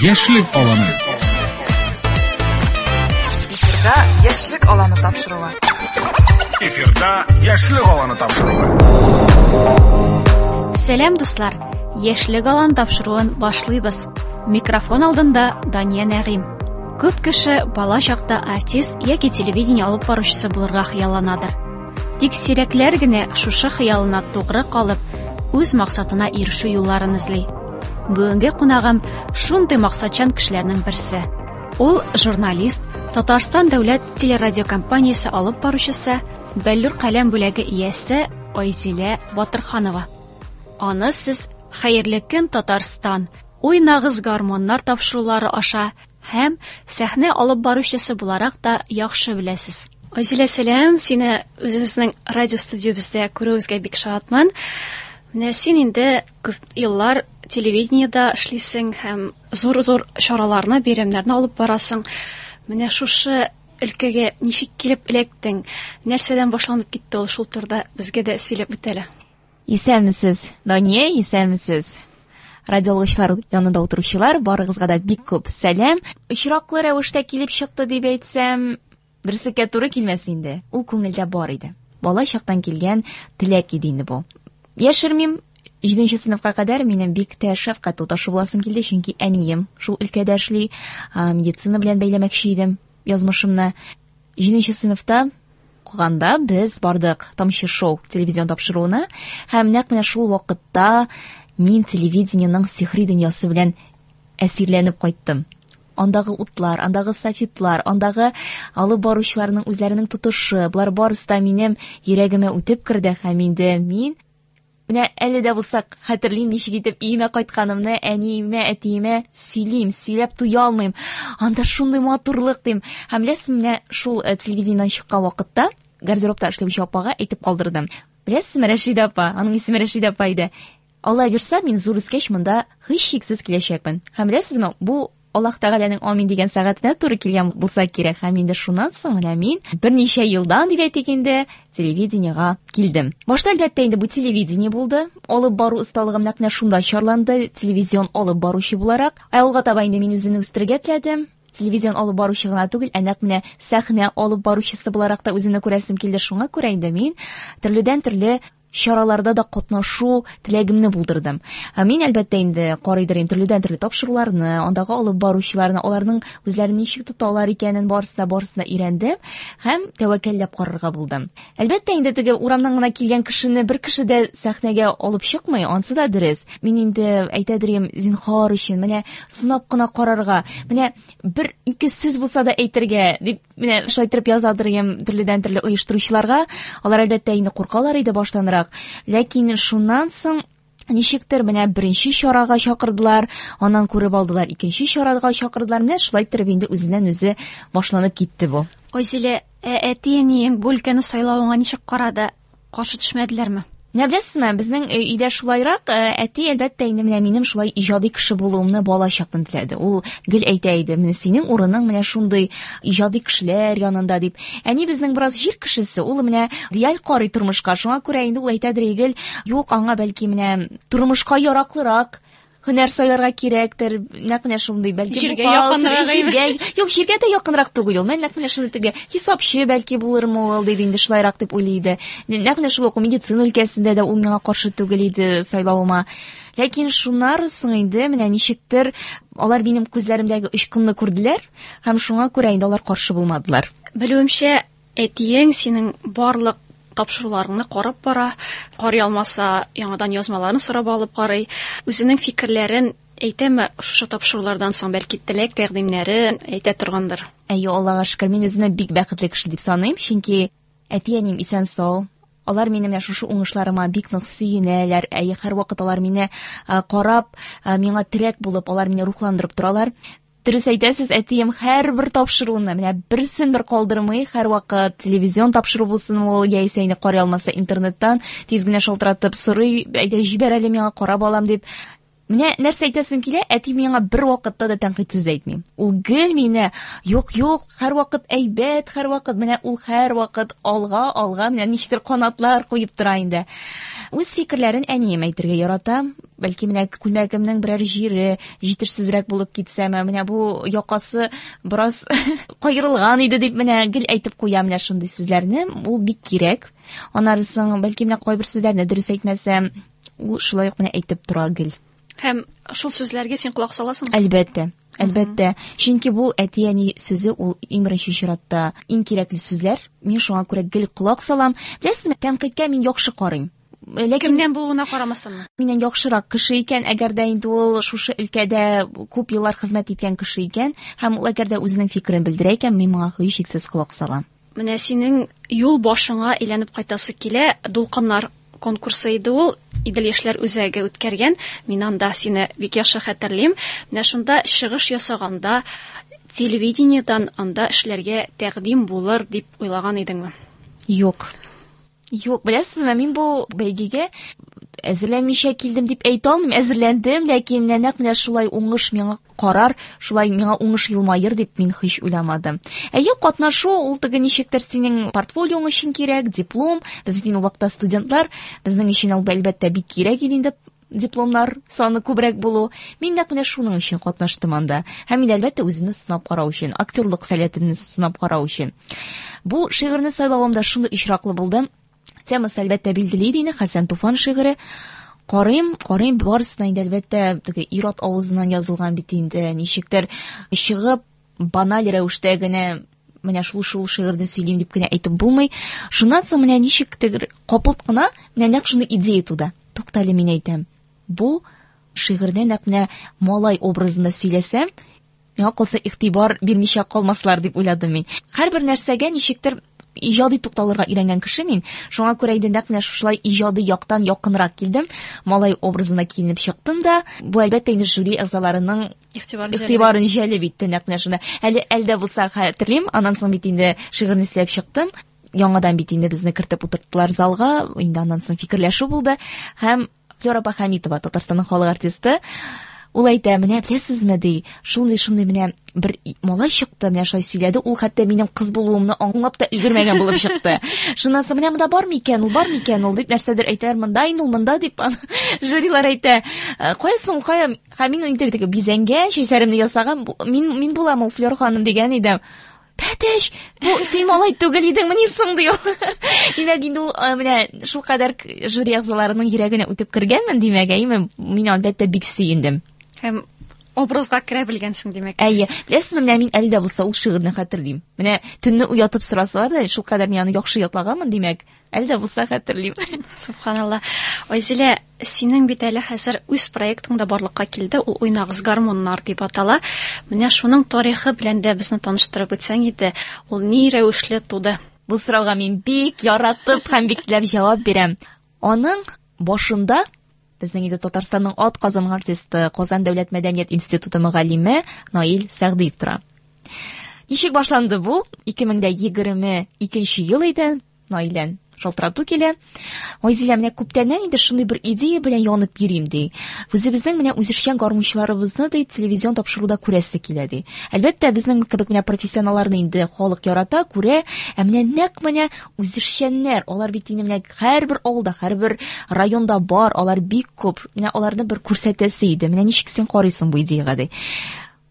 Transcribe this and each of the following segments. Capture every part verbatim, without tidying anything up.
Яшьлек аланы. Эфирда Яшьлек аланы тапшыруы. Эфирда Яшьлек аланы тапшыруы. Сәлам, дуслар! Яшьлек аланы тапшыруын башлыйбыз. Микрофон алдында Дания Нәгыйм. Күп кеше бала чакта артист яки телевидение алып баручысы булырга хыялланадыр. Тик сирәкләр генә шушы хыялына тугры калып, үз максатына ирешү юлларын эзли. Бүгенге кунагым шундый максатчан кешеләрнең берсе. Ул журналист, Татарстан дәүләт телерадиокомпаниясе алып баручысы, Бәллүр каләм бүләге иясе Айзилә Батырханова. Аны сез Хәерле көн, Татарстан, Уйнагыз гармоннар тапшырулары аша һәм сәхнә алып баручысы буларак та яхшы беләсез. Айзилә, сәлам, сине үзебезнең радио студиябездә күрүебезгә бик шатмын. Менә син инде күп еллар телевидениедә эшлисең һәм зур-зур чараларны, бәйрәмнәрне алып барасың. Менә шушы өлкәгә ничек килеп эләктең? Нәрсәдән башланып китте ул, шул турыда безгә дә сөйләп үт әле. Исәнмесез, Дания, исәнмесез. Радиолышлар янында утыручылар, барыгызга да бик күп сәлам. Очраклы рәвештә килеп чыкты дип әйтсәм, дөреслеккә туры килмәс инде. Ул күңелдә бар иде. Бала чактан килгән теләк иде инде бу. Яшермим, җиденче сыйныфка кадәр минем бик тә шәфкать туташы буласым килде, чөнки әнием шул өлкәдә эшли, медицина белән бәйләмәкче идем язмышымны. Җиденче сыйныфта укыганда без бардык Тамчы шоу телевизион тапшыруына, һәм нәкъ менә шул вакытта мин телевидениенең сихри дөньясы белән әсирләнеп кайттым. Андагы утлар, андагы софитлар, андагы алып баручыларның үзләренең тотышы, болар барысы да минем йөрәгемә үтеп керде, һәм инде мин менә әле дә булса хәтерлим, ничек итеп өемә кайтканымны, әниемә, әтиемә сөйлим, сөйләп туя алмыйм. Анда шундый матурлык дим. Һәм беләсезме, менә шул телевидениедән чыккан вакытта гардеробта эшләүче апага әйтеп калдырдым. Беләсезме, Рәшидә апа, аның исеме Рәшидә апа иде. Алла бирсә, мин зур үскәч монда һичшиксез киләчәкмен. Һәм беләсезме, бу Аллаһ Тәгаләнең амин дигән сәгатенә туры килгән булса кирәк. Һәм инде шуннан соң менә мин берничә елдан дип әйтик инде телевидениегә килдем. Башта әлбәттә инде бу телевидение булды. Алып бару осталыгым нәкъ менә шунда чарланды, телевизион алып баручы буларак. Ә алга таба инде мин үземне үстерергә теләдем. Телевизион алып баручы гына түгел, ә нәкъ менә сәхнә алып баручысы буларак та үземне күрәсем килде. Шуңа күрә инде мин төрледән-төрле чараларда да катнашу теләгемне булдырдым. Ә мин әлбәттә инде карыйдыр инде төрледән-төрле тапшыруларны, андагы алып баручыларны, аларның үзләрен ничек тоталар икәнен барысын да, барысын да өйрәндем һәм тәвәккәлләп карарга булдым. Әлбәттә инде теге урамнан гына килгән кешене бер кеше дә сәхнәгә алып чыкмый, ансы да дөрес. Мин инде әйтәдер идем, зинһар өчен, менә сынап кына карарга, менә бер ике сүз булса да әйтергә дип менә шулай итеп язадыр идем төрледән-төрле оештыручыларга. Алар әлбәттә инде куркалар иде баштанрак. Ләкин шуннан соң ничектер менә беренче чарага чакырдылар, аннан күреп алдылар, икенче чарага чакырдылар. Менә шулай итеп инде үзеннән үзе башланып китте бу. Айзилә, ә әти-әниең бу өлкәне сайлавыңа ничек карады? Каршы төшмәделәрме? Менә беләсезме, безнең өйдә шулайрак, әти әлбәттә инде менә минем шулай иҗади кеше булуымны бала чактан теләде. Ул гел әйтә иде, менә синең урының менә шундый иҗади кешеләр янында дип. Әни безнең бераз җир кешесе, ул менә реаль карый тормышка. Шуңа күрә инде ул әйтәдер гел, юк, аңа бәлки менә тормышка яраклырак һөнәр сайларга кирәктер. Нәкъ менә шундый, бәлки җиргә якынрак, җиргә, юк, җиргә дә якынрак түгел ул. Мен нәкъ менә шундый теге хисапчы бәлки булырмы ул дип инде шулайрак дип уйлый иде. Нәкъ менә шул ук медицина өлкәсендә дә ул миңа каршы түгел иде сайлавыма. Ләкин шуннан соң инде менә ничектер алар минем күзләремдәге очкынны күрделәр һәм шуңа күрә инде алар каршы булмадылар. Белүемчә, әтиең синең барлык тапшыруларыңны карап бара, карый алмаса, яңадан язмаларын сорап алып карый. Үзенең фикерләрен әйтәме шушы тапшырулардан соң, бәлки теләк тәкъдимнәрен әйтә торгандыр? Әйе, Аллага шөкер, мин үземне бик бәхетле кеше дип саныйм, чөнки әти-әнием исән-сау. Алар минем менә шушы уңышларыма бик нык сөенәләр. Әйе, һәрвакыт алар мине карап, миңа терәк булып, алар мине рухландырып торалар. Дөрес әйтәсез, әтием һәрбер тапшыруны, менә берсен бер калдырмый, һәрвакыт телевизион тапшыру булсын ул, яисә инде карый алмаса интернеттан тиз генә шалтыратып сорый, әйдә җибәр әле миңа, карап алам дип. Менә нәрсә әйтәсем килә, әти миңа бер вакытта да тәнкыйть сүз әйтми. Ул гел мине, юк, юк, һәрвакыт әйбәт, һәрвакыт, менә ул һәрвакыт алга, алга, менә ничектер канатлар куеп тора инде. Үз фикерләрен әнием әйтергә ярата. Бәлки менә күлмәгемнең берәр җире җитешсезрәк булып китсәме, менә бу якасы бераз каерылган иде дип менә гел әйтеп куя менә шундый сүзләрне. Ул бик кирәк. Аннары соң бәлки менә кайбер сүзләрне дөрес әйтмәсәм, ул шулай ук менә әйтеп тора гел. Һәм шул сүзләргә син колак саласыңмы? Әлбәттә, әлбәттә. Чөнки бу әти-әни сүзе ул иң беренче чиратта иң кирәкле сүзләр. Мин шуңа күрә гел колак салам. Беләсезме, тәнкыйтькә мин яхшы карыйм. Ләкин кемнән булуына карамастанмы? Миннән яхшырак кеше икән, әгәр дә инде ул шушы өлкәдә күп еллар хезмәт иткән кеше икән, һәм ул әгәр дә үзенең фикерен белдерә икән, мин моңа һичшиксез колак салам. Менә синең юл башыңа әйләнеп кайтасы килә, Дулкыннар конкурсы иде ул, Идел яшьләр үзәге үткәргән. Мин анда сине бик яхшы хәтерлим. Менә шунда чыгыш ясаганда телевидениедән анда эшләргә тәкъдим булыр дип уйлаган идеңме? Юк. Юк, беләсезме, мин бу бәйгегә әзерләнмичә килдем дип әйтә алмыйм. Әзерләндем, ләкин менә нәкъ менә шулай уңыш миңа карар, шулай миңа уңыш елмаер дип мин һич уйламадым. Әйе, катнашу ул теге ничектер синең портфолиоң өчен кирәк, диплом. Без бит инде ул вакытта студентлар, безнең өчен ул әлбәттә бик кирәк иде инде дипломнар саны күбрәк булу. Мин нәкъ менә шуның өчен катнаштым анда. Һәм инде әлбәттә үземне сынап карау өчен, актерлык сәләтемне сынап карау өчен. Бу шигырьне сайлавым да шундый очраклы булды. Темасы әлбәттә билгеле иде инде, Хәсән Туфан шигыре. Карыйм, карыйм, барысына инде әлбәттә теге ир-ат авызыннан язылган бит инде, ничектер чыгып баналь рәвештә генә менә шул шул шигырьне сөйлим дип кенә әйтеп булмый. Шуннан соң менә ничектер капылт кына менә нәкъ шундый идея туды. Туктале, мин әйтәм. Бу шигырьне нәкъ менә малай образында сөйләсәм, миңа калса игътибар бирмичә калмаслар дип уйладым мин. Һәрбер нәрсәгә ничектер иҗади тукталырга өйрәнгән кеше мин. Шуңа күрә инде нәкъ менә шушылай иҗади яктан якынрак килдем. Малай образына киенеп чыктым да, бу әлбәттә инде жюри әгъзаларының игътибарын җәлеп итте нәкъ менә шунда. Әле әлдә булса хәтерлим, аннан соң бит инде шигырьне сөйләп чыктым. Яңадан бит инде безне кертеп утырттылар залга, инде аннан соң фикерләшү булды. Һәм Флюра апа Хәмитова, Татарстанның халык артисты, ул әйтә, менә беләсезме, ди, шундый-шундый менә бер малай чыкты, менә шулай сөйләде, ул хәтта минем кыз булуымны аңлап та өлгермәгән булып чыкты. Шуннан соң менә монда бар микән ул, бар микән ул дип нәрсәдер әйтәләр, монда инде ул, монда дип жюрилар әйтә. Кая соң, кая? Һәм мин инде теге бизәнгән, чәчләремне ясаган, мин, мин булам ул Флюра ханым дигән идем. Бәтәш, бу син малай түгел идеңмени соң, ди ул. Димәк, инде ул, менә шулкадәр жюри әгъзаларының йөрәгенә үтеп кергәнмен, димәк, әйме, мин әлбәттә бик сөендем. Һәм образга керә белгәнсең, димәк. Әйе, беләсезме, менә мин әле дә булса ул шигырьне хәтерлим. Менә төнне уятып сорасалар да, шулкадәр мин аны яхшы ятлаганмын, димәк, әле дә булса хәтерлим. Субханалла. Айзилә, синең бит әле хәзер үз проектың да барлыкка килде, ул Уйнагыз гармуннар дип атала. Менә шуның тарихы белән дә безне таныштырып үтсәң иде, ул ни рәвешле туды? Бу сорауга мин бик яратып һәм бик теләп җавап бирәм. Аның башында безнең инде Татарстанның ат казанган артисты, Казан дәүләт мәдәният институты мөгаллиме Наил Сәгъдиев тора. Ничек башланды бу? Ике мең дә егерме икенче ел иде. Наилдән шалтырату килә. Айзилә, менә күптәннән инде шундый бер идея белән янып йөрим, ди. Үзебезнең менә үзешчән гармунчыларыбызны, ди, телевизион тапшыруда күрәсе килә, ди. Әлбәттә, безнең кебек менә профессионалларны инде халык ярата, күрә. Ә менә нәкъ менә үзешчәннәр, алар бит инде менә һәрбер авылда, һәрбер районда бар, алар бик күп. Менә аларны бер күрсәтәсе иде. Менә ничек син карыйсың бу идеягә, ди.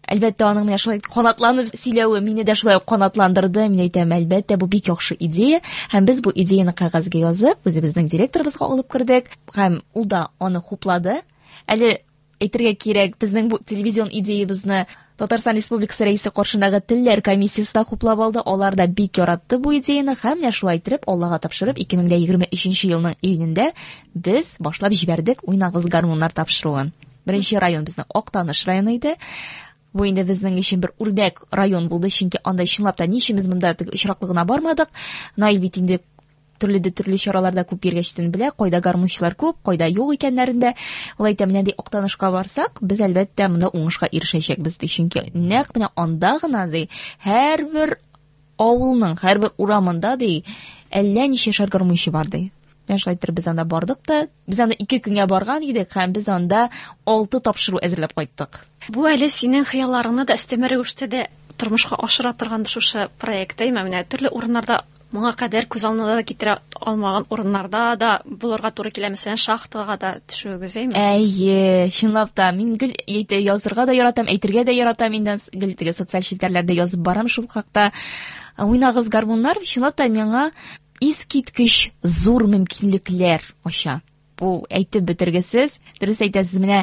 Әлбәттә, аның менә шулай канатланып сөйләве мине дә шулай ук канатландырды. Мин әйтәм, әлбәттә, бу бик яхшы идея. Һәм без бу идеяны кәгазьгә язып, үзебезнең директорыбызга алып кердек. Һәм ул да аны хуплады. Әле әйтергә кирәк, безнең бу телевизион идеябезне Татарстан Республикасы Рәисе каршындагы телләр комиссиясе дә хуплап алды. Алар да бик яратты бу идеяны һәм менә шулай итеп Аллага тапшырып ике мең дә егерме өченче елның июнендә без башлап җибәрдек Уйнагыз гармуннар тапшыруын. Беренче район безнең Актаныш районы иде. Бу инде безнең өчен бер үрнәк район булды, чөнки анда чынлап та ни өчен без монда теге очраклы гына бармадык. Наил бит инде төрле дә төрле чараларда күп йөргәчтен белә, кайда гармунчылар күп, кайда юк икәннәрен дә. Ул әйтә, менә ди Актанышка барсак, без әлбәттә монда уңышка ирешәчәкбез ди, чөнки нәкъ менә анда гына ди һәрбер авылның һәрбер урамында ди әллә ничә шәр гармунчы бар ди. Менә шулай итеп без анда бардык та, без анда ике көнгә барган идек һәм без анда алты тапшыру әзерләп кайттык. Бу әле синең хыялларыңны да өстәмә рәвештә дә тормышка ашыра торган шушы проект, әйме? Менә төрле урыннарда моңа кадәр күз алдына да китерә алмаган урыннарда да булырга туры килә, мәсәлән, шахтага да төшүегез, әйме? Әйе, чынлап та, мин гел әйтә, язырга да яратам, әйтергә дә яратам, инде гел теге социаль челтәрләрдә язып барам шул хакта. Уйнагыз гармуннар, чынлап та миңа искиткеч зур мөмкинлекләр ача. Бу әйтеп бетергесез. Дөрес әйтәсез, менә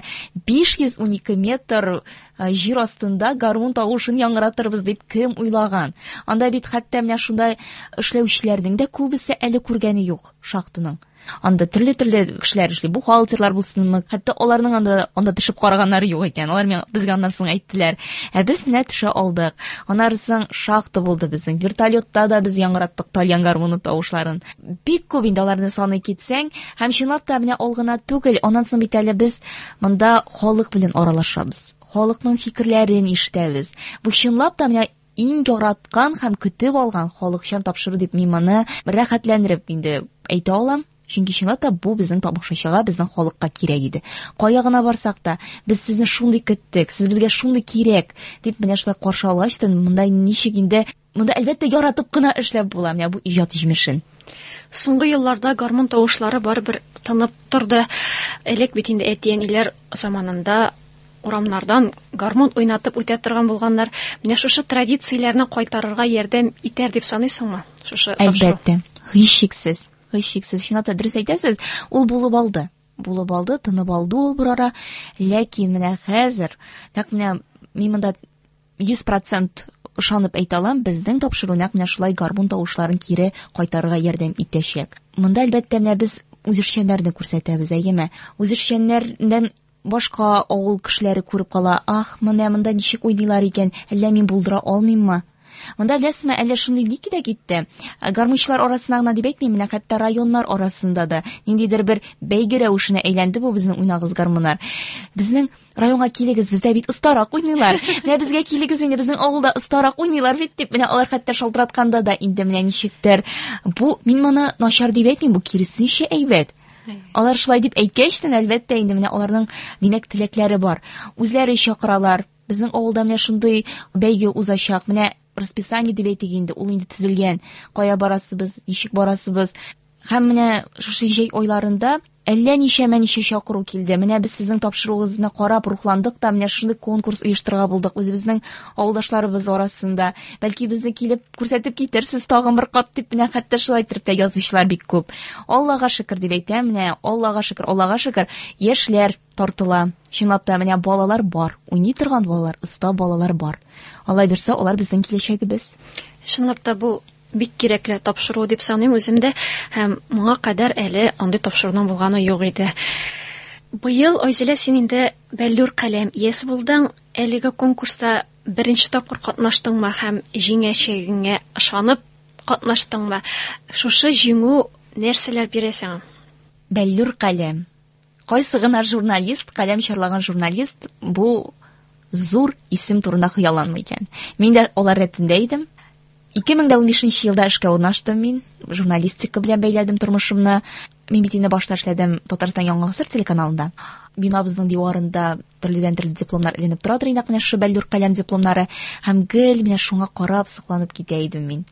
биш йөз унике метр җир астында гармун тавышын яңгыратырбыз дип кем уйлаган? Анда бит хәтта менә шунда эшләүчеләрнең дә күбесе әле күргәне юк шахтаның. Анда төрле-төрле кешеләр эшли, бухгалтерлар булсынмы, хәтта аларның анда, анда төшеп караганнары юк икән. Алар миңа, безгә аннан соң әйттеләр. Ә без менә төшә алдык. Аннан соң шахта булды безнең. Вертолетта да без яңгыраттык тальян гармуны тавышларын. Бик күп инде аларны саный китсәң, һәм чынлап та менә ул гына түгел, аннан соң бит әле без монда халык белән аралашабыз. Халыкның фикерләрен ишетәбез. Бу чынлап та менә иң яраткан һәм көтеп алган халыкчан тапшыру дип мин моны рәхәтләндереп инде әйтә алам. Чөнки чынлап та бу безнең тамашачыга, безнең халыкка кирәк иде. Кая гына барсак та, без сезне шундый көттек, сез безгә шундый кирәк дип менә шулай каршы алгач та, монда ничек инде, монда әлбәттә яратып кына эшләп була менә бу иҗат җимешен. Соңгы елларда гармун тавышлары барыбер тынып торды. Элек бит инде әти-әниләр заманында урамнардан гармун уйнатып үтә торган булганнар. Менә шушы традицияләрне кайтарырга ярдәм итәр дип саныйсыңмы? Шушы тапшыру. Әлбәттә, һичшиксез. Һичшиксез, чынлап та дөрес әйтәсез, ул булып алды. Булып алды, тынып алды ул бер ара. Ләкин менә хәзер, нәкъ менә мин монда йөз процент ышанып әйтә алам, безнең тапшыру нәкъ менә шулай гармун тавышларын кире кайтарырга ярдәм итәчәк. Монда әлбәттә менә без үзешчәннәрне күрсәтәбез, әйеме? Үзешчәннәрдән башка авыл кешеләре күреп кала, ах, менә монда ничек уйныйлар икән, әллә мин булдыра алмыйммы? Монда беләсезме, әллә шундый ни кидә китте. Гармунчылар арасында гына дип әйтмим, менә хәтта районнар арасында да ниндидер бер бәйге рәвешенә әйләнде бу безнең уйнагыз гармуннар. Безнең районга килегез, бездә бит остарак уйныйлар. Менә безгә килегез инде, безнең авылда остарак уйныйлар бит дип, менә алар хәтта шалтыратканда да инде менә ничектер. Бу мин моны начар дип әйтмим, бу киресенчә әйбәт. Алар шулай дип әйткәчтен, әлбәттә инде менә аларның димәк теләкләре бар. Үзләре чакыралар. Безнең авылда менә шундый бәйге узачак. Менә расписание дип әйтик инде, ул инде төзелгән. Кая барасыбыз, ничек барасыбыз. Һәм менә шушы җәй айларында әллә ничәмә ничә чакыру килде. Менә без сезнең тапшыруыгызны карап рухландык та, менә шундый конкурс оештырырга булдык үзебезнең авылдашларыбыз арасында. Бәлки безне килеп күрсәтеп китерсез тагын бер кат дип, менә хәтта шулай итеп тә язучылар бик күп. Аллага шөкер дип әйтәм, менә Аллага шөкер, Аллага шөкер, яшьләр тартыла. Чынлап та менә балалар бар, уйный торган балалар, оста балалар бар. Алла бирсә, алар безнең киләчәгебез. Чынлап та бу бик кирәкле тапшыру дип саныйм үзем дә, һәм моңа кадәр әле андый тапшыруның булганы юк иде. Быел, Айзилә, син инде Бәллүр каләм иясе булдың. Әлеге конкурста беренче тапкыр катнаштыңмы һәм җиңәчәгеңә ышанып катнаштыңмы? Шушы җиңү нәрсәләр бирә сиңа? Бәллүр каләм. Кайсы гына журналист, каләм чарлаган журналист бу зур исем турында хыялланмый икән. Мин дә алар рәтендә идем. Ике мең дә унбишенче елда эшкә урнаштым мин. Журналистика белән бәйләдем тормышымны. Мин бит инде башта эшләдем Татарстан Яңа Гасыр телеканалында. Бинабызның диварында төрледән төрле дипломнар эленеп тора иде, нәкъ менә шушы Бәллүр каләм дипломнары. Һәм гел менә шуңа карап сокланып китә идем мин.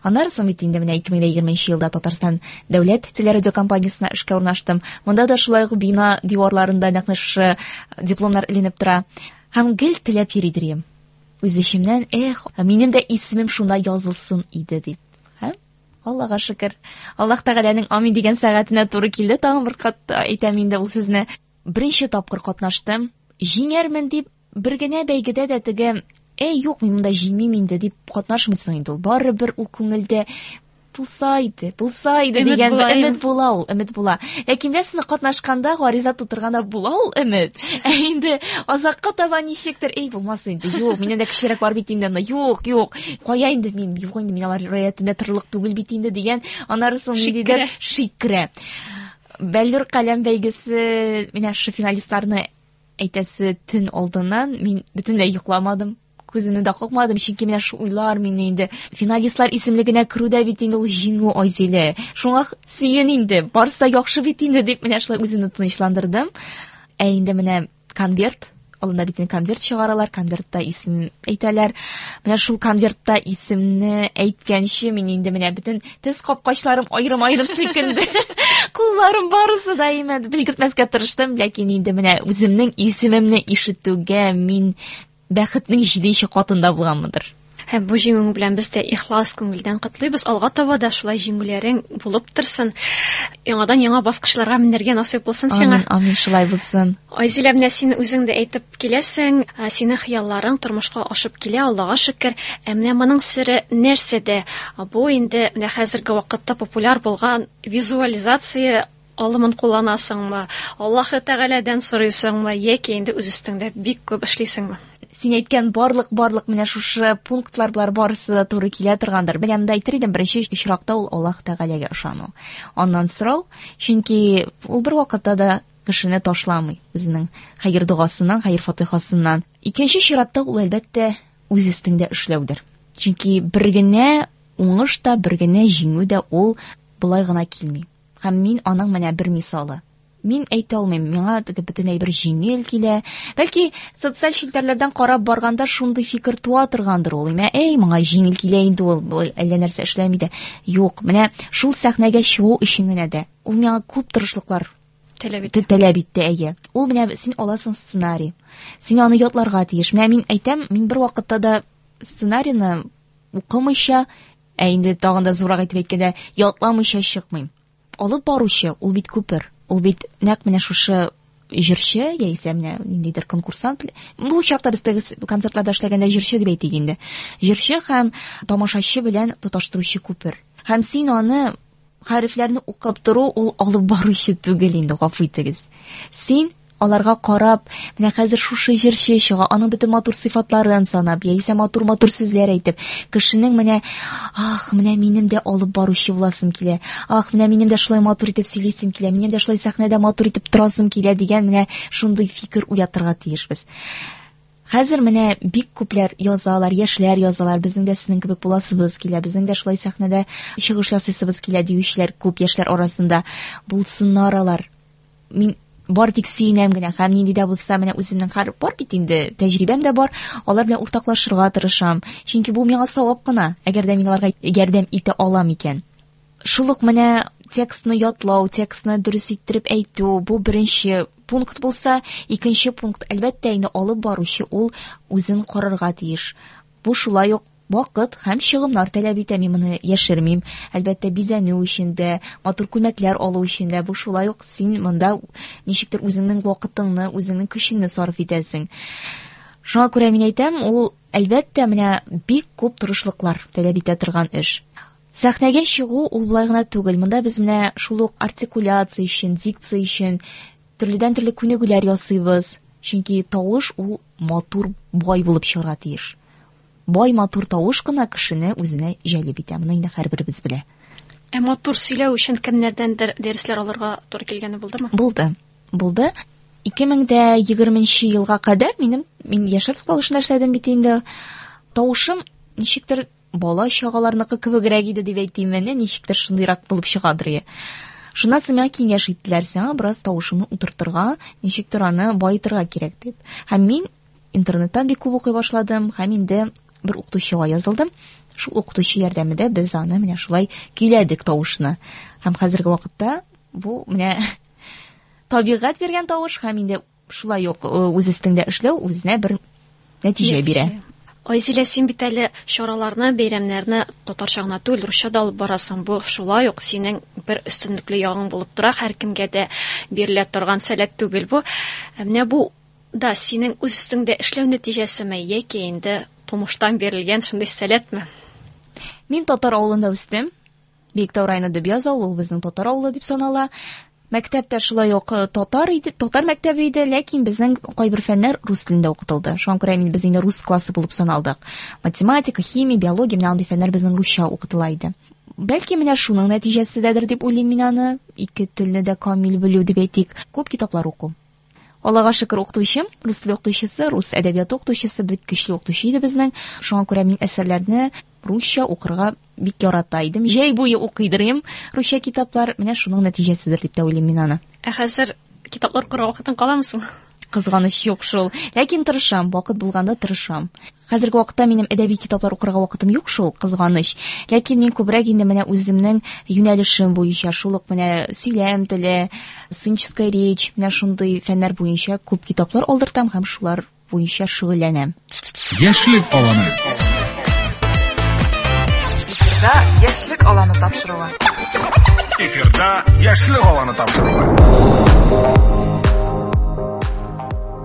Аннары соң бит инде менә ике мең дә егерменче елда Татарстан дәүләт телерадиокомпаниясенә эшкә урнаштым. Монда да шулай ук бина диварларында нәкъ менә шушы дипломнар эленеп тора. Һәм гел теләп йөри идем. Үз эчемнән, эх, минем дә исемем шунда язылсын иде дип. Һәм Аллага шөкер. Аллаһ Тәгаләнең амин дигән сәгатенә туры килде. Тагын бер кат әйтәм инде ул сүзне. Беренче тапкыр катнаштым. Җиңәрмен дип бер генә бәйгедә дә теге, эй, юк, мин монда җиңмим инде дип катнашмыйсың инде ул. Барыбер ул күңелдә булса иде, булса иде Өмет дигән була, өмет була ул, өмет була. Ләкин беләсезме, катнашканда, гариза тутырганда була ул өмет. Ә инде азакка таба ничектер, эй, булмас инде, юк, миннән дә кечерәк бар бит инде, юк, юк, кая инде мин, юк инде, мин алар рәятендә торырлык түгел бит инде дигән, аннары соң Шик ниндидер керә. шик керә. Бәллүр каләм бәйгесе, менә шушы финалистларны әйтәсе төн алдыннан мин бөтенләй йокламадым. Күземне дә какмадым, чөнки менә шул уйлар мине инде финалистлар исемлегенә керүдә бит инде ул җиңү, Айзилә. Шуңа сөен инде, барысы да яхшы бит инде дип менә шулай үземне тынычландырдым. Ә инде менә конверт, алында бит инде конверт чыгаралар, конвертта исем әйтәләр. Менә шул конвертта исемне әйткәнче мин инде менә бөтен тез капкачларым аерым-аерым селкенде. Кулларым барысы да имәде. Белгертмәскә тырыштым, ләкин инде менә үземнең исемемне ишетүгә мин бәхетнең җиденче катында булганмындыр. Һәм бу җиңүең белән без дә ихлас күңелдән котлыйбыз. Алга таба да шулай җиңүләрең булып торсын. Яңадан яңа баскычларга менәргә насыйп булсын сиңа. Амин, амин, шулай булсын. Айзилә, менә син үзең дә әйтеп киләсең, синең хыялларың тормышка ашып килә, Аллага шөкер. Ә менә моның сере нәрсәдә? Бу инде менә хәзерге вакытта популяр булган визуализация алымын кулланасыңмы? Аллаһы Тәгаләдән сорыйсыңмы? Яки инде үз өстеңдә бик күп эшлисеңме? Син әйткән барлык барлык менә шушы пунктлар болар барысы да туры килә торгандыр. Менә монда әйтер идем, беренче очракта ул Аллаһ Тәгаләгә ышану. Аннан сорау, чөнки ул бер вакытта да кешене ташламый үзенең хәер догасыннан, хәер фатихасыннан. Икенче чиратта ул әлбәттә үз өстеңдә эшләүдер. Чөнки бер генә уңыш та, бер генә җиңү дә ул болай гына килми. Һәм мин аның менә бер мисалы. Мин әйтә алмыйм, миңа теге бөтенләй бер җиңел килә. Бәлки социаль челтәрләрдән карап барганда шундый фикер туа торгандыр ул. Имә, әй, моңа җиңел килә инде ул, әллә нәрсә эшләми дә. Юк, менә шул сәхнәгә чыгу өчен генә дә ул миңа күп тырышлыклар таләп итте. Таләп итте, әйе. Ул менә син аласың сценарий. Син аны ятларга тиеш. Менә мин әйтәм, мин бер вакытта да сценарийны укымыйча, ә инде тагын да зуррак итеп әйткәндә, ятламыйча чыкмыйм. Алып баручы ул бит күпер. Ул бит нәкъ менә шушы җырчы яисә менә ниндидер конкурсант. Бу очракта без теге концертларда эшләгәндә җырчы дип әйтик инде. Җырчы һәм тамашачы белән тоташтыручы күпер. Һәм син аны хәрефләрне укып тору ул алып баручы түгел инде, гафу итегез. Син аларга карап, менә хәзер шушы җырчы чыга, аның бөтен матур сыйфатларын санап, яисә матур-матур сүзләр әйтеп, кешенең менә, ах, менә минем дә алып баручы буласым килә, ах, менә минем дә шулай матур итеп сөйлисем килә, минем дә шулай сәхнәдә матур итеп торасым килә дигән менә шундый фикер уятырга тиешбез. Хәзер менә бик күпләр язалар, яшьләр язалар, безнең дә сезнең кебек буласыбыз килә, безнең дә шулай сәхнәдә чыгыш ясыйсыбыз килә диючеләр күп яшьләр арасында. Булсыннар алар. Мин бар тик сөенәм генә, һәм нинди дә булса менә үземнең хәр бар бит инде, тәҗрибәм дә бар, алар белән уртаклашырга тырышам. Чөнки бу миңа савап кына, әгәр дә мин аларга ярдәм итә алам икән. Шул ук менә текстны ятлау, текстны дөрес иттереп әйтү, бу беренче пункт булса, икенче пункт, әлбәттә, инде алып баручы ул үзен карарга тиеш. Бу шулай ук вакыт һәм чыгымнар таләп итә, мин моны яшермим. Әлбәттә, бизәнү өчен дә, матур күлмәкләр алу өчен дә, бу шулай ук син монда ничектер үзеңнең вакытыңны, үзеңнең көчеңне сарыф итәсең. Шуңа күрә мин әйтәм, ул әлбәттә менә бик күп тырышлыклар таләп итә торган эш. Сәхнәгә чыгу ул болай гына түгел. Монда без менә шул ук артикуляция өчен, дикция өчен төрледән төрле күнегүләр ясыйбыз. Чөнки тавыш ул матур, бай булып чыгарга тиеш. Бай матур тавыш кына кешене үзенә җәлеп итә. Моны инде һәрберебез белә. Ә матур сөйләү өчен кемнәрдәндер дәресләр алырга туры килгәне булдымы? Булды. Булды. ике мең дә егерменче елга кадәр минем, мин яшьләр тукталышында эшләдем бит инде. Тавышым ничектер бала чагаларныкы кебегрәк иде дип әйтим, менә ничектер шундыйрак булып чыгадыр. Шуннан соң миңа киңәш иттеләр, сиңа бераз тавышыңны утыртырга, ничектер аны баетырга кирәк дип. Һәм мин интернеттан бик күп укый башладым, һәм инде бер укытучыга язылдым. Шул укытучы ярдәмендә без аны менә шулай көйләдек тавышны. Һәм хәзерге вакытта бу менә табигать биргән тавыш һәм инде шулай ук үз өстеңдә эшләү үзенә бер нәтиҗә бирә. Айзилә, син бит әле чараларны, бәйрәмнәрне татарча гына түгел, русча да алып барасың. Бу шулай ук синең бер өстенлекле ягың булып тора, һәркемгә дә бирелә торган сәләт түгел бу. Менә бу да синең үз өстеңдә эшләү нәтиҗәсеме яки инде тумыштан бирелгән шундый сәләтме? Мин татар авылында үстем. Биектау районы Дөбьяз авылы, ул безнең татар авылы дип санала. Мәктәптә шулай ук татар иде, татар мәктәбе иде, ләкин безнең кайбер фәннәр рус телендә укытылды. Шуңа күрә мин без инде рус классы булып саналдык. Математика, химия, биология, менә андый фәннәр безнең русча укытыла иде. Бәлки менә шуның нәтиҗәседәдер дип уйлыйм мин аны. Ике телне дә камил белү дип әйтик. Күп китаплар уку. Аллага шөкер, укытучым, рус теле укытучысы, рус әдәбияты укытучысы, бик көчле укытучы иде безнең. Шуңа күрә мин әсәрләрне русча укырга бик ярата идем. Җәй буе укыйдырым русча китаплар. Менә шуның нәтиҗәседер дип тә уйлыйм мин аны. Ә хәзер китаплар укырга вакытың каламы соң? Кызганыч юк шул. Ләкин тырышам, вакыт булганда тырышам. Хәзерге вакытта минем әдәби китаплар укырга вакытым юк шул, кызганыч. Ләкин мин күбрәк инде менә үземнең юнәлешем буенча, шул ук менә сөйләм теле, сценическая речь, менә шундый фәннәр буенча күп китаплар алдыртам һәм шулар буенча шөгыльләнәм. Яшьлек аланы. Эфирда Яшьлек аланы тапшыруы. Эфирда Яшьлек аланы тапшыруы.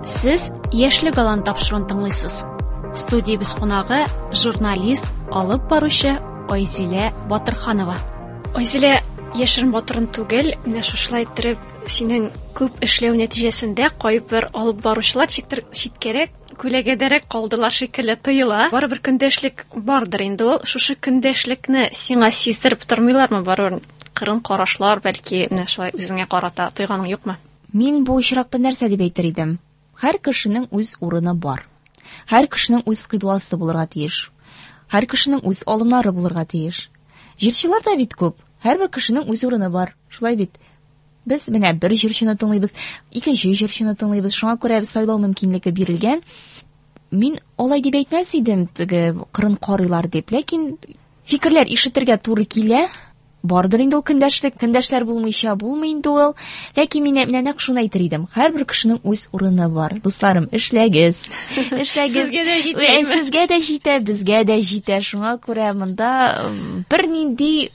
Сез Яшьлек аланы тапшыруын тыңлыйсыз. Студиябез кунагы журналист, алып баручы Айзилә Батырханова. Айзилә, яшерен батырын түгел, менә шушылай иттереп синең күп эшләү нәтиҗәсендә кайбер алып баручылар чиктер читкәрәк, күләгәдәрәк калдылар шикелле тоела. Барыбер көндәшлек бардыр инде ул. Шушы көндәшлекне сиңа сиздереп тормыйлармы? Барыбер кырын карашлар, бәлки менә шулай үзеңә карата тойганың юкмы? Мин бу очракта нәрсә дип әйтер идем? Һәр кешенең үз урыны бар. Һәр кешенең үз кыйбласы булырга тиеш. Һәр кешенең үз алымнары булырга тиеш. Җырчылар да бит күп. Һәрбер кешенең үз урыны бар. Шулай бит. Без менә бер җырчыны тыңлыйбыз, икенче җырчыны тыңлыйбыз. Шуңа күрә сайлау мөмкинлеге бирелгән. Мин алай дип әйтмәс идем, теге кырын карыйлар дип. Ләкин фикерләр ишетергә туры килә. Бардыр инде ул көндәшлек, көндәшләр булмыйча булмый инде ул. Ләкин мин менә нәкъ шуны әйтер идем. Һәрбер кешенең үз урыны бар. Дусларым, эшләгез. Эшләгез. Сезгә дә җитә. Сезгә дә җитә, безгә дә җитә. Шуңа күрә монда бернинди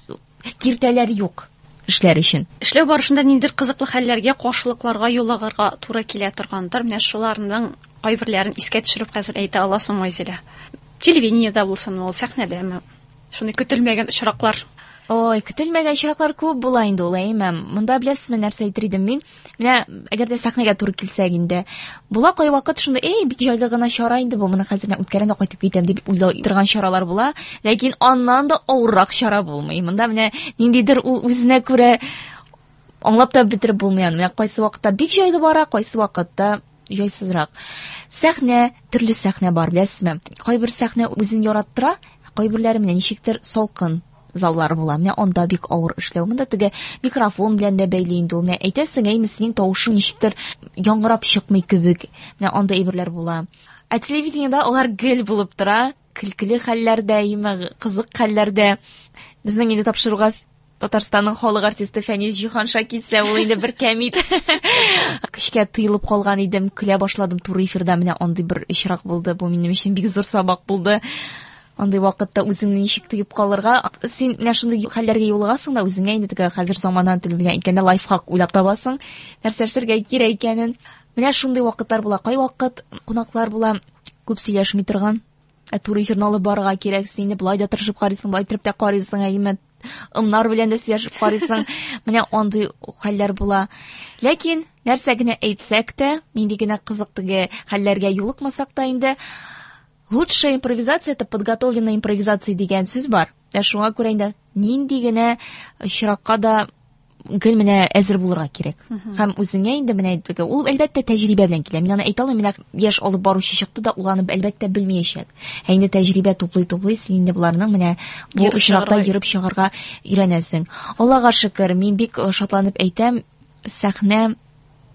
киртәләр юк эшләр өчен. Эшләү барышында ниндидер кызыклы хәлләргә, каршылыкларга юлыгырга туры килә торгандыр. Менә шуларның кайберләрен искә төшереп хәзер әйтә аласың, Айзилә. Телевидениедә булсын ул, сәхнәдәме? Шундый көтелмәгән очраклар. Ой, көтелмәгән очраклар күп була инде ул, әйме. Монда беләсезме нәрсә әйтер идем мин? Менә әгәр дә сәхнәгә туры килсәк инде, була кайвакыт шундый, эй, бик җайлы гына чара инде бу, моны хәзер менә үткәрәм дә кайтып китәм дип уйлый торган чаралар була, ләкин аннан да авыррак чара булмый. Монда менә ниндидер ул үзенә күрә аңлап та бетереп булмый аны. Менә кайсы вакытта бик җайлы бара, кайсы вакытта җайсызрак. Сәхнә, төрле сәхнә бар, беләсезме? Кайбер сәхнә үзен яраттыра, кайберләре менә ничектер салкын заллар була. Менә анда бик авыр эшләү. Монда теге микрофон белән дә бәйле инде ул. Менә әйтәсең, әйме, синең тавышың ничектер яңгырап чыкмый кебек. Менә анда әйберләр була. Ә телевидениедә алар гел булып тора. Көлкеле хәлләрдә, әйме, кызык хәлләрдә. Безнең инде тапшыруга Татарстанның халык артисты Фәнис Җиһанша килсә, ул инде бер кәмит. Көчкә тыелып калган идем, көлә башладым туры эфирда. Менә андый бер очрак булды. Бу минем өчен бик зур сабак булды. Андый вакытта үзеңне ничек тыеп калырга. Син менә шундый хәлләргә юлыгасың да, үзеңә инде теге хәзер замана теле белән әйткәндә лайфхак уйлап табасың, нәрсә эшләргә кирәк икәнен. Менә шундый вакытлар була. Кайвакыт кунаклар була, күп сөйләшми торган. Ә туры эфирны алып барырга кирәк, син инде болай да тырышып карыйсың, болай итеп тә карыйсың, әйме, ымнар белән дә сөйләшеп карыйсың. Менә андый хәлләр була. Ләкин нәрсә генә әйтсәк тә, нинди генә кызык теге хәлләргә юлыкмасак та инде, лучшая импровизация это подготовленная импровизация дигән сүз бар. Ә шуңа күрә инде нинди генә очракка да гел менә әзер булырга кирәк. Һәм үзеңә инде менә әйтергә, ул әлбәттә тәҗрибә белән килә. Мин аны әйтә алмыйм, менә яшь алып баручы чыкты да, ул аны әлбәттә белмәячәк. Ә инде тәҗрибә туплый-туплый, син инде боларның менә бу Йөреп очракта чыгарга йөреп чыгарга өйрәнәсең. Аллага шөкер, мин бик шатланып әйтәм, сәхнә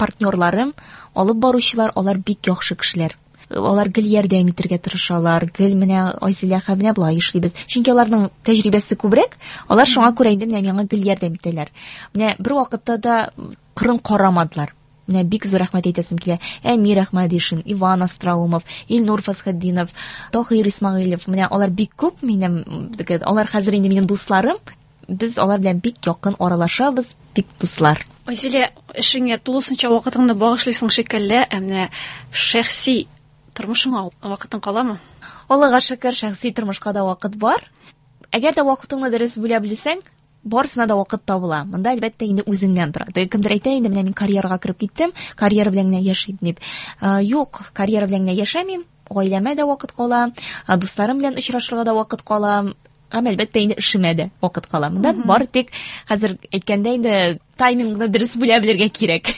партнерларым, алып баручылар, алар бик яхшы кешеләр. Алар гел ярдәм итәргә тырышалар, гел менә Айзилә һәм менә болай эшлибез. Чөнки аларның тәҗрибәсе күбрәк, алар шуңа күрә инде менә миңа гел ярдәм итәләр. Менә бер вакытта да кырын карамадылар. Менә бик зур рәхмәт әйтәсем килә. Әмир Әхмәдишин, Иван Остроумов, Илнур Фасхетдинов, Таһир Исмәгыйлев. Менә алар бик күп минем, теге, алар хәзер инде минем дусларым. Без алар белән бик якын аралашабыз, бик дуслар. Айзилә, эшеңә тулысынча вакытыңны багышлыйсың шикелле, ә менә шәхси тормышыңа вакытың каламы? Аллага шөкер, шәхси тормышка да вакыт бар. Әгәр дә вакытыңны дөрес бүлә белсәң, барысына да вакыт табыла. Монда әлбәттә инде үзеңнән тора. Теге кемдер әйтә инде, менә мин карьерага кереп киттем, карьера белән генә яшим дип. Э, юк, карьера белән генә яшәмим. Гаиләмә дә вакыт кала, э, дусларым белән очрашырга да вакыт кала. Һәм әлбәттә инде эшемә дә вакыт кала. Монда бары тик хәзер әйткәндә инде таймингны дөрес бүлә белергә кирәк.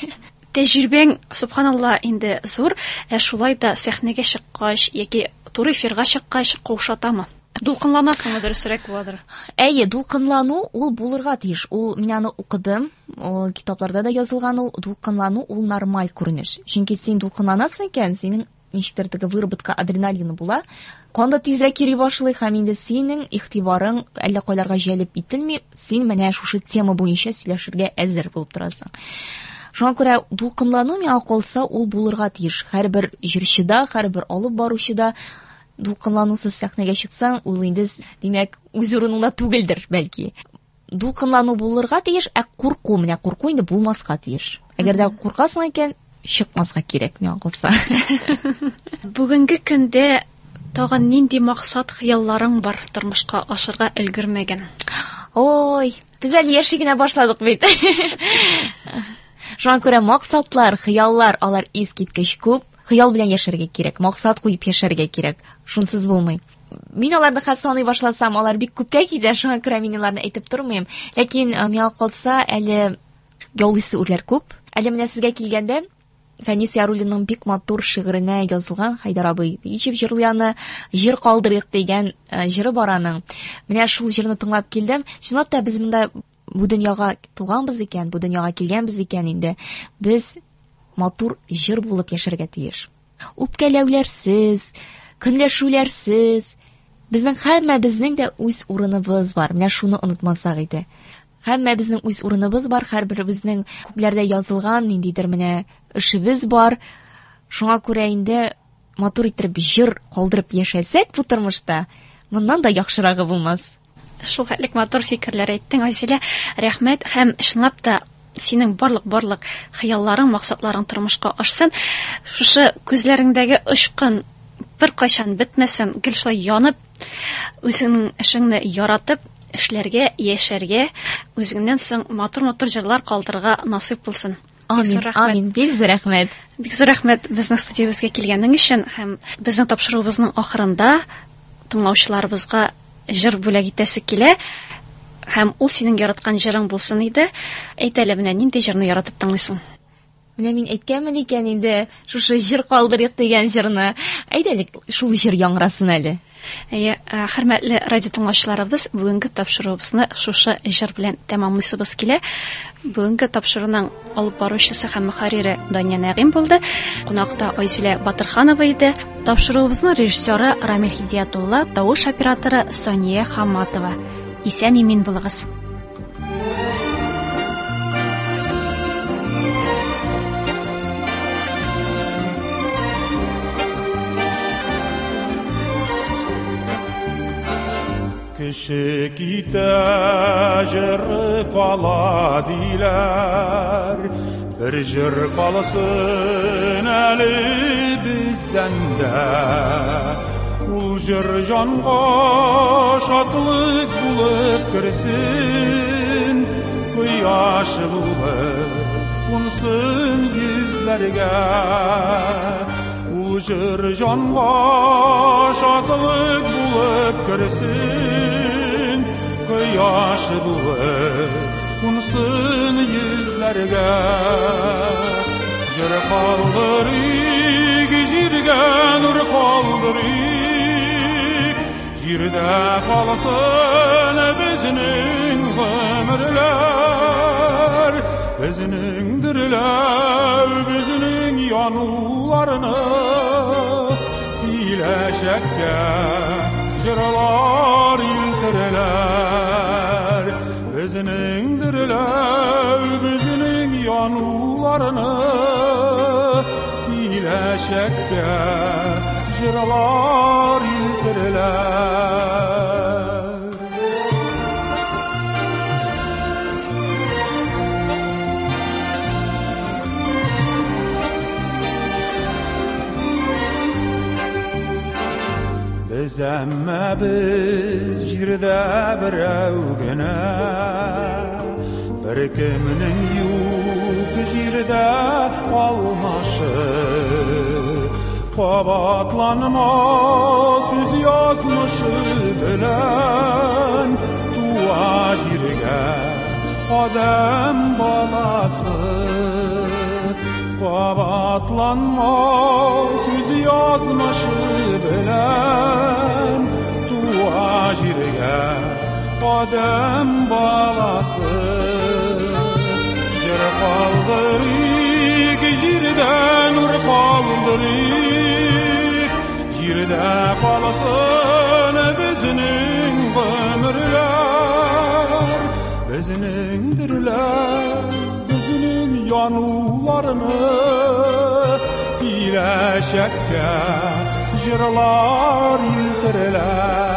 Тәҗрибәң, субханалла, инде зур, ә шулай да сәхнәгә чыккач яки туры эфирга чыккач каушатамы? Дулкынланасыңмы, дөресрәк буладыр? Әйе, дулкынлану ул булырга тиеш. Ул мин аны укыдым, ул китапларда да язылган ул дулкынлану ул нормаль күренеш. Чөнки син дулкынланасың икән, синең ничектер теге выработка адреналина була. Канда тизрәк йөри башлый һәм инде синең игътибарың әллә кайларга җәлеп ителми, син менә шушы тема буенча сөйләшергә әзер булып торасың. Шуңа күрә дулкынлану миңа калса ул булырга тиеш. Һәрбер җырчыда, һәрбер алып баручыда дулкынланусыз сәхнәгә чыксаң, ул инде, димәк, үз урыныңда түгелдер, бәлки. Дулкынлану булырга тиеш, ә курку, менә курку инде булмаска тиеш. Әгәр дә куркасың икән, чыкмаска кирәк, миңа калса. Бүгенге көндә тагын нинди максат, хыялларың бар тормышка ашырга өлгермәгән? Ой, без әле яши генә башладык бит. Шуңа күрә максатлар, хыяллар, алар искиткеч күп. Хыял белән яшәргә кирәк, максат куеп яшәргә кирәк. Шунсыз булмый. Мин аларны хәзер саный башласам, алар бик күпкә китә, шуңа күрә мин аларны әйтеп тормыйм. Ләкин миңа калса, әле яулыйсы үрләр күп. Әле менә сезгә килгәндә, Фәнис Яруллинның бик матур шигыренә язылган Хәйдәр абый ничек җырлый аны, «Җыр калдырыйк» дигән җыры бар аның. Менә шул җырны тыңлап килдем. Чынлап та без монда бу дөньяга туганбыз икән, бу дөньяга килгәнбез икән инде. Без матур җыр булып яшәргә тиеш. Үпкәләүләрсез, көнләшүләрсез. Безнең һәммәбезнең дә үз урыныбыз бар. Менә шуны онытмасак иде. Һәммәбезнең үз урыныбыз бар, һәрберебезнең күкләрдә язылган ниндидер менә эшебез бар. Шуңа күрә инде матур итеп җыр калдырып яшәсәк бу тормышта, моннан да яхшырагы булмас. Шул хәтлек матур фикерләр әйттең, Айзилә. Рәхмәт һәм чынлап та синең барлык-барлык хыялларың, максатларың тормышка ашсын. Шушы күзләреңдәге очкын беркайчан бетмәсен, гел шулай янып, үзеңнең эшеңне яратып, эшләргә, яшәргә, үзеңнән соң матур-матур җырлар калдырырга насыйп булсын. Амин, амин. Бик зур рәхмәт. Бик зур рәхмәт безнең студиябезгә килгәнең өчен һәм безнең тапшыруыбызның ахырында тыңлаучыларыбызга җыр бүләк итәсе килә. Һәм ул синең яраткан җырың булсын иде. Әйт әле, менә нинди җырны яратып тыңлыйсың? Менә мин әйткәнмен икән инде, шушы җыр калдырыйк дигән җырны. Әйдә әле, шул җыр яңрасын әле. Әйе, хөрмәтле радио тыңлаучыларыбыз, бүгенге тапшыруыбызны шушы җыр белән тәмамлыйсыбыз килә. Бүгенге тапшыруның алып баручысы һәм мөхәррире Дания Нәгыйм булды. Кунакта Айзилә Батырханова иде. Тапшыруыбызның режиссеры Рамил Һидиятулла, тавыш операторы Сания Хаматова. Исән-имин булыгыз. Кеше китә, җыры кала диләр. Бер җыр калсын әле бездән дә. Ул җыр җанга шатлык булып керсен, кояш булып кунсын йөзләргә. Ул җыр җанга шатлык булып керсен, кояш булып кунсын йөзләргә. Җыр калдырыйк, җиргә нур калдырыйк, җирдә калсын безнең гомерләр, безнең дөрләү, безнең януларны киләчәккә җырлар илтерләр. Безнең дөрләү, безнең януларны киләчәккә җырлар илтерләр. Без әмма без җирдә берәү генә, бер кемнең юк җирдә алмашы. Кабатланмас үз язмышы белән туа җиргә адәм баласы. Кабатланмас үз язмышы белән туа җиргә адәм баласы. Җыр калдырыйк, җирдә нур калдырыйк, җирдә калсын безнең гомерләр, безнең дөрләр, безнең януларны киләчәккә җырлар илтерләр.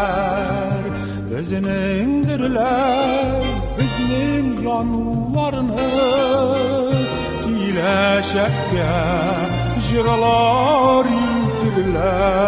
Безнең дөрләр, безнең януларны киләчәккә җырлар илтерләр.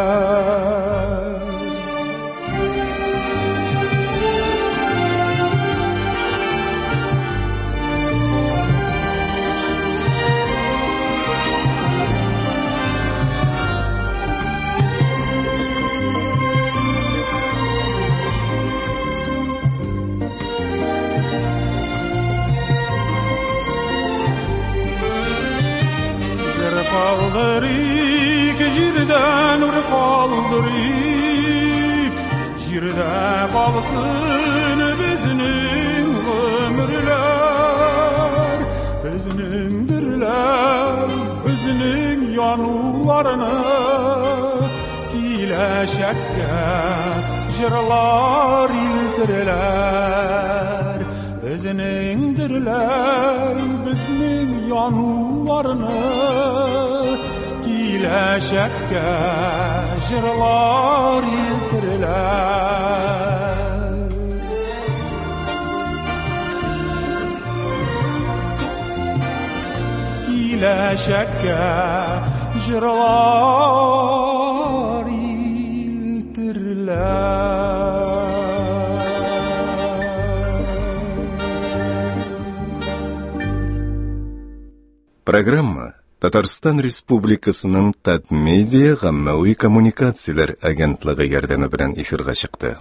Калдырыйк, җирдә нур калдырыйк, җирдә калсын безнең гомерләр, безнең дөрләр, безнең януларны киләчәккә җырлар илтерләр. Безнең дөрләр, безнең януларны киләчәккә җырлар илтерләр. Киләчәккә җырлар илтерләр. Программа Татарстан Республикасының Татмедиа гаммәви коммуникацияләр агентлыгы ярдәме белән эфирга чыкты.